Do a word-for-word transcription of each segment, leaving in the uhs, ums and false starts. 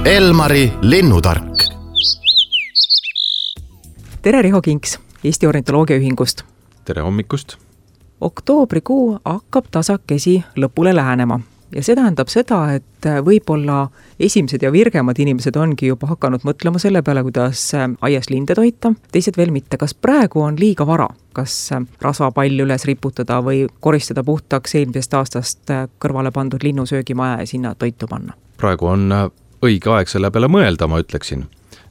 Elmari linnutark. Tere, Riho Kinks Eesti Ornitoloogiaühingust. Tere hommikust. Oktoobrikuu hakkab tasakesi lõpule lähenema ja see tähendab seda, et võib-olla esimesed ja virgemad inimesed ongi juba hakanud mõtlema selle peale, kuidas aias linde toita, teised veel mitte. Kas praegu on liiga vara? Kas rasvapall üles riputada või koristada puhtaks eelmisest aastast kõrvale pandud linnusöögimaja ja sinna toitu panna? Praegu on õige aeg selle peale mõelda, ma ütleksin.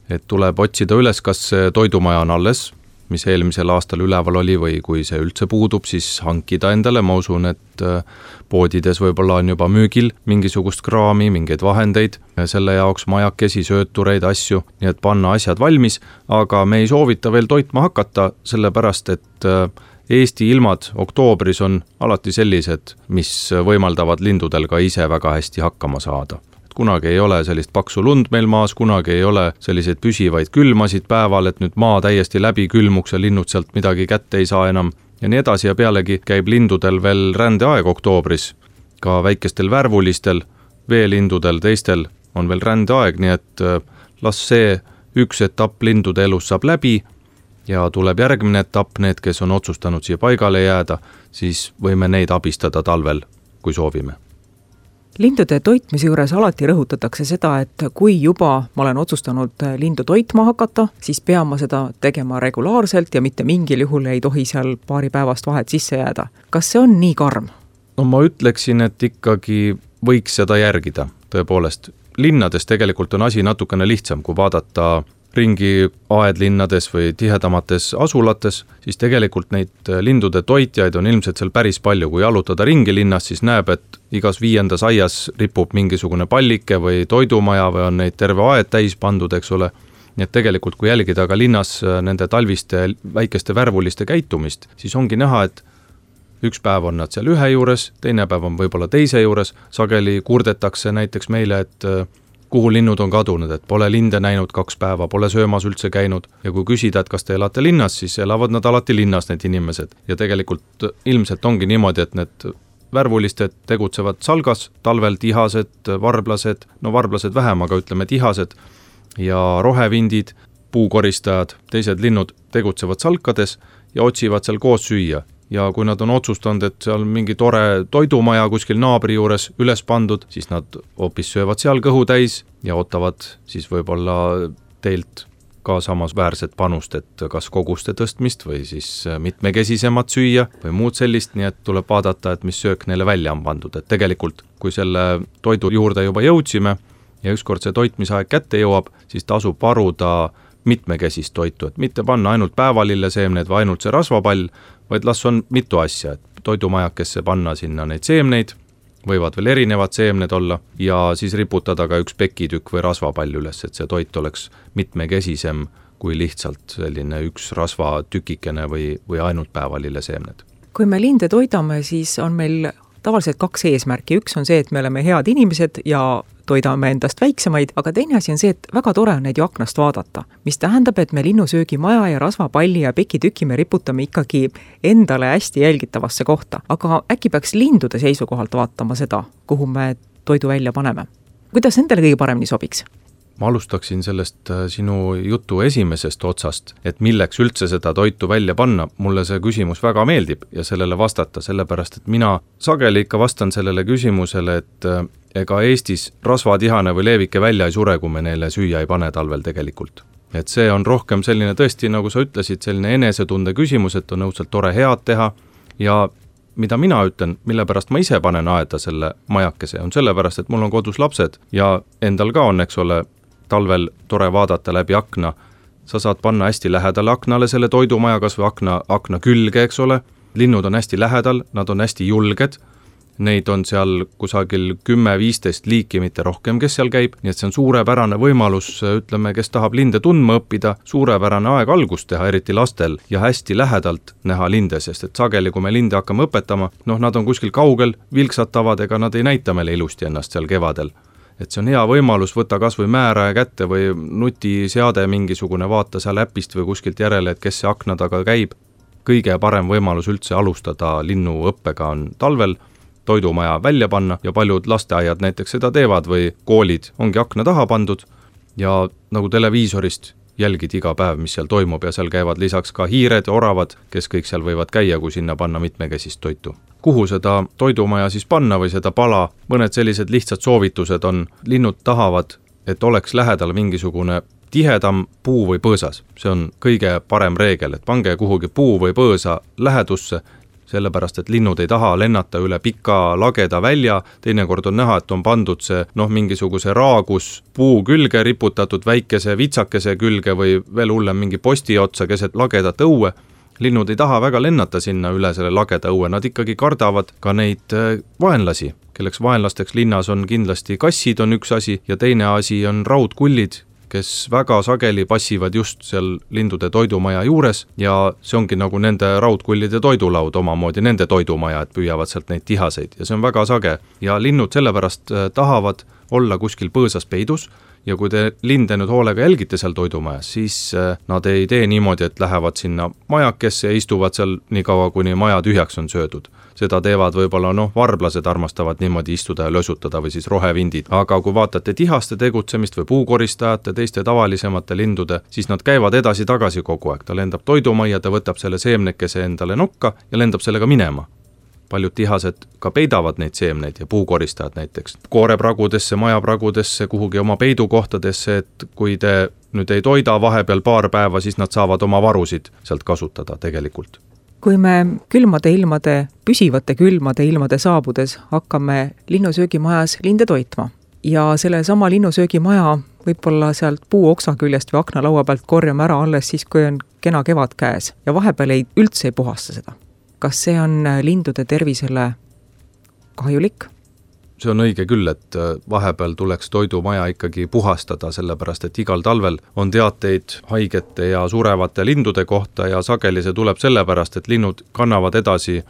Et tuleb otsida üles, kas toidumaja on alles, mis eelmisel aastal üleval oli, või kui see üldse puudub, siis hankida endale. Ma usun, et poodides võib-olla on juba müügil mingisugust kraami, mingeid vahendeid, selle jaoks majakesi, söötureid, asju, nii et panna asjad valmis, aga me ei soovita veel toitma hakata, sellepärast, et Eesti ilmad oktoobris on alati sellised, mis võimaldavad lindudel ka ise väga hästi hakkama saada. Kunagi ei ole sellist paksu lund meil maas, kunagi ei ole selliseid püsivaid külmasid päeval, et nüüd maa täiesti läbi külmuks ja linnud sealt midagi kätte ei saa enam. Ja nii edasi ja pealegi käib lindudel veel rändeaeg oktoobris. Ka väikestel värvulistel, veelindudel, teistel on veel rändeaeg, nii et las see üks etapp lindude elus saab läbi ja tuleb järgmine etapp, need, kes on otsustanud siia paigale jääda, siis võime neid abistada talvel, kui soovime. Lindude toitmise juures alati rõhutatakse seda, et kui juba ma olen otsustanud lindu toitma hakata, siis pean ma seda tegema regulaarselt ja mitte mingil juhul ei tohi seal paari päevast vahet sisse jääda. Kas see on nii karm? No ma ütleksin, et ikkagi võiks seda järgida. Tõepoolest, linnades tegelikult on asi natukene lihtsam, kui vaadata ringi aedlinnades või tihedamates asulates, siis tegelikult neid lindude toitjaid on ilmselt seal päris palju. Kui jalutada ringi linnas, siis näeb, et igas viiendas aias ripub mingisugune pallike või toidumaja või on neid terve aed täis pandud, eks ole. Nii et tegelikult, kui jälgida ka linnas nende talviste väikeste värvuliste käitumist, siis ongi näha, et üks päev on nad seal ühe juures, teine päev on võib-olla teise juures, sageli kurdetakse näiteks meile, et kuhu linnud on kadunud, et pole linde näinud kaks päeva, pole söömas üldse käinud ja kui küsida, et kas te elate linnas, siis elavad nad alati linnas, need inimesed. Ja tegelikult ilmselt ongi niimoodi, et need värvulised tegutsevad salgas, talvel tihased, varblased, no varblased vähem, aga ütleme tihased ja rohevindid, puukoristajad, teised linnud tegutsevad salkades ja otsivad seal koos süüa. Ja kui nad on otsustanud, et seal mingi tore toidumaja kuskil naabri juures üles pandud, siis nad hoopis söövad seal kõhu täis ja ootavad siis võib-olla teilt ka samas väärset panust, et kas koguste tõstmist või siis mitmekesisemat süüa või muud sellist, nii et tuleb vaadata, et mis söök neile välja on pandud. Et tegelikult, kui selle toidu juurde juba jõudsime ja ükskord see toitmisaeg kätte jõuab, siis tasub varuda mitmekesist toitu, et mitte panna ainult päevalille seemneid või ainult see rasvapall, vaid las on mitu asja, et toidumajakesse panna sinna neid seemneid, võivad veel erinevad seemned olla ja siis riputada ka üks pekitükk või rasvapall üles, et see toit oleks mitmekesisem kui lihtsalt selline üks rasvatükikene või, või ainult päevalille seemned. Kui me linde toidame, siis on meil tavaliselt kaks eesmärki. Üks on see, et me oleme head inimesed ja toidame endast väiksemaid, aga teine asi on see, et väga tore on neid ju aknast vaadata, mis tähendab, et me linnusöögimaja ja rasvapalli ja pekitüki me riputame ikkagi endale hästi jälgitavasse kohta. Aga äkki peaks lindude seisukohalt vaatama seda, kuhu me toidu välja paneme? Kuidas nendele kõige paremini sobiks? Ma alustaksin sellest sinu jutu esimesest otsast, et milleks üldse seda toitu välja panna. Mulle see küsimus väga meeldib ja sellele vastata, sellepärast, et mina sageli ikka vastan sellele küsimusele, et ega Eestis rasvatihane või leevike välja ei sure, kui me neile süüa ei pane talvel tegelikult. Et see on rohkem selline tõesti, nagu sa ütlesid, selline enesetunde küsimus, et on õudselt tore head teha ja mida mina ütlen, mille pärast ma ise panen aeda selle majakese, on sellepärast, et mul on kodus lapsed ja endal ka on, eks ole, talvel tore vaadata läbi akna. Sa saad panna hästi lähedale aknale selle toidumaja, kas või akna, akna külge, eks ole. Linnud on hästi lähedal, nad on hästi julged. Neid on seal kusagil kümme viisteist liiki, mitte rohkem, kes seal käib. Nii et see on suurepärane võimalus, ütleme, kes tahab linde tundma õppida, suurepärane aeg algust teha, eriti lastel, ja hästi lähedalt näha linde, sest et sageli, kui me linde hakkame õpetama, noh, nad on kuskil kaugel, vilksatavad, ega nad ei näita meile ilusti ennast seal kevadel. Et see on hea võimalus võtta kas või määraja kätte või nutiseade mingisugune, vaata seal äpist või kuskilt järele, et kes see akna taga käib. Kõige parem võimalus üldse alustada linnu õppega on talvel toidumaja välja panna ja paljud lasteaiad näiteks seda teevad või koolid ongi akna taha pandud ja nagu televiisorist jälgid iga päev, mis seal toimub ja seal käivad lisaks ka hiired ja oravad, kes kõik seal võivad käia, kui sinna panna mitmekesist toitu. Kuhu seda toidumaja siis panna või seda pala? Mõned sellised lihtsad soovitused on, linnud tahavad, et oleks lähedal mingisugune tihedam puu või põõsas. See on kõige parem reegel, et pange kuhugi puu või põõsa lähedusse, sellepärast, et linnud ei taha lennata üle pika lageda välja, teinekord on näha, et on pandud see noh, mingisuguse raagus puu külge riputatud väikese vitsakese külge või veel hullem mingi posti otsa keset lagedat õue. Linnud ei taha väga lennata sinna üle selle lageda õue, nad ikkagi kardavad ka neid vaenlasi, kelleks vaenlasteks linnas on kindlasti kassid on üks asi ja teine asi on raudkullid, kes väga sageli passivad just seal lindude toidumaja juures ja see ongi nagu nende raudkullide toidulaud omamoodi, nende toidumaja, et püüavad sealt neid tihaseid ja see on väga sage. Ja linnud sellepärast tahavad olla kuskil põõsas peidus ja kui te linde nüüd hoolega jälgite seal toidumajas, siis nad ei tee niimoodi, et lähevad sinna majakesse ja istuvad seal nii kaua, kuni maja tühjaks on söödud. Seda teevad võib-olla, noh, varblased armastavad niimoodi istuda ja lösutada või siis rohevindid. Aga kui vaatate tihaste tegutsemist või puukoristajate, teiste tavalisemate lindude, siis nad käivad edasi-tagasi kogu aeg. Ta lendab toidumajja, ta võtab selle seemnekese endale nokka ja lendab sellega minema. Paljud tihased ka peidavad neid seemneid ja puukoristajad näiteks koorepragudesse, majapragudesse, kuhugi oma peidukohtadesse, et kui te nüüd ei toida vahepeal paar päeva, siis nad saavad oma varusid sealt kasutada tegelikult. Kui me külmade ilmade, püsivate külmade ilmade saabudes hakkame linnusöögimajas linde toitma ja selle sama linnusöögimaja võib-olla sealt puuoksa küljest või aknalaua pealt korjame ära alles siis, kui on kena kevad käes ja vahepeal ei üldse ei puhasta seda. Kas see on lindude tervisele kahjulik? See on õige küll, et vahepeal tuleks toidumaja ikkagi puhastada, sellepärast et igal talvel on teateid haigete ja surevate lindude kohta ja sageli see tuleb sellepärast, et linnud kannavad edasi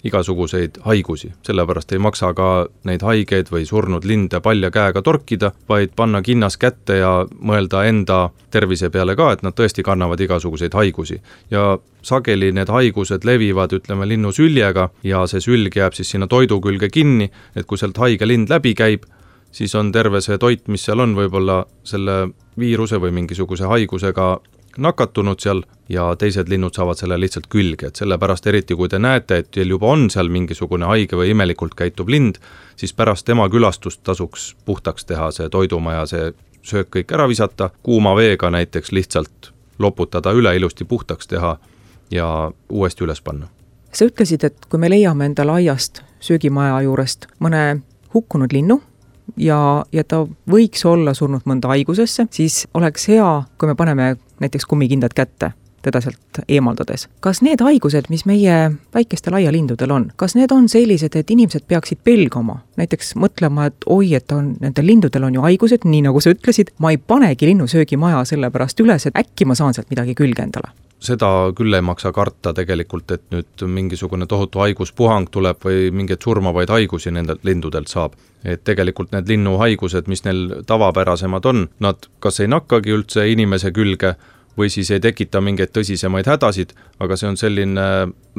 igasuguseid haigusi. Sellepärast ei maksa ka neid haigeid või surnud linde palja käega torkida, vaid panna kinnas kätte ja mõelda enda tervise peale ka, et nad tõesti kannavad igasuguseid haigusi. Ja sageli need haigused levivad, ütleme, linnu süljega ja see sülg jääb siis sinna toidu külge kinni, et kui sealt haige lind läbi käib, siis on terve see toit, mis seal on võib-olla selle viiruse või mingisuguse haigusega nakatunud seal ja teised linnud saavad selle lihtsalt külge, et sellepärast eriti kui te näete, et teil juba on seal mingisugune haige või imelikult käitub lind, siis pärast tema külastust tasuks puhtaks teha see toidumaja, see söök kõik ära visata, kuuma veega näiteks lihtsalt loputada üle, ilusti puhtaks teha ja uuesti üles panna. Sa ütlesid, et kui me leiame endale aiast söögimaja juurest mõne hukkunud linnu, ja, ja ta võiks olla surnud mõnda haigusesse, siis oleks hea, kui me paneme näiteks kummikindad kätte teda sealt eemaldades. Kas need haigused, mis meie väikestel aialindudel on, kas need on sellised, et inimesed peaksid pelgama? Näiteks mõtlema, et oi, et on, nendel lindudel on ju haigused, nii nagu sa ütlesid, ma ei panegi linnusöögimaja selle pärast üles, et äkki ma saan sealt midagi külge endale. Seda küll ei maksa karta tegelikult, et nüüd mingisugune tohutu haiguspuhang tuleb või mingeid surmavaid haigusi nendelt lindudelt saab. Et tegelikult need linnuhaigused, mis neil tavapärasemad on, nad kas ei nakkagi üldse inimese külge või siis ei tekita mingeid tõsisemaid hädasid, aga see on selline,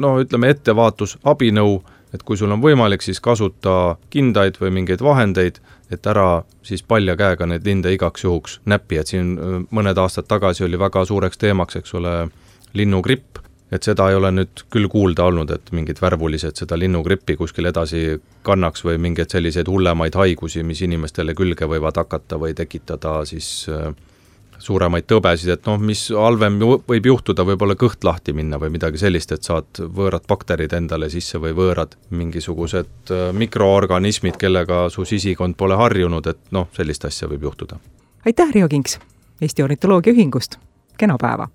no ütleme, ettevaatus, abinõu, et kui sul on võimalik, siis kasuta kindaid või mingeid vahendeid, et ära siis palja käega neid linde igaks juhuks näppi, et siin mõned aastad tagasi oli väga suureks teemaks, eks ole, linnugripp, et seda ei ole nüüd küll kuulda olnud, et mingid värvulised seda linnugrippi kuskil edasi kannaks või mingeid selliseid hullemaid haigusi, mis inimestele külge võivad hakata või tekitada siis suuremaid tõbesid, et noh, mis halvem võib juhtuda, võib-olla kõht lahti minna või midagi sellist, et saad võõrad bakterid endale sisse või võõrad mingisugused mikroorganismid, kellega su sisikond pole harjunud, et noh, sellist asja võib juhtuda. Aitäh, Riho Kinks Eesti Ornitoloogia Ühingust, kena päeva!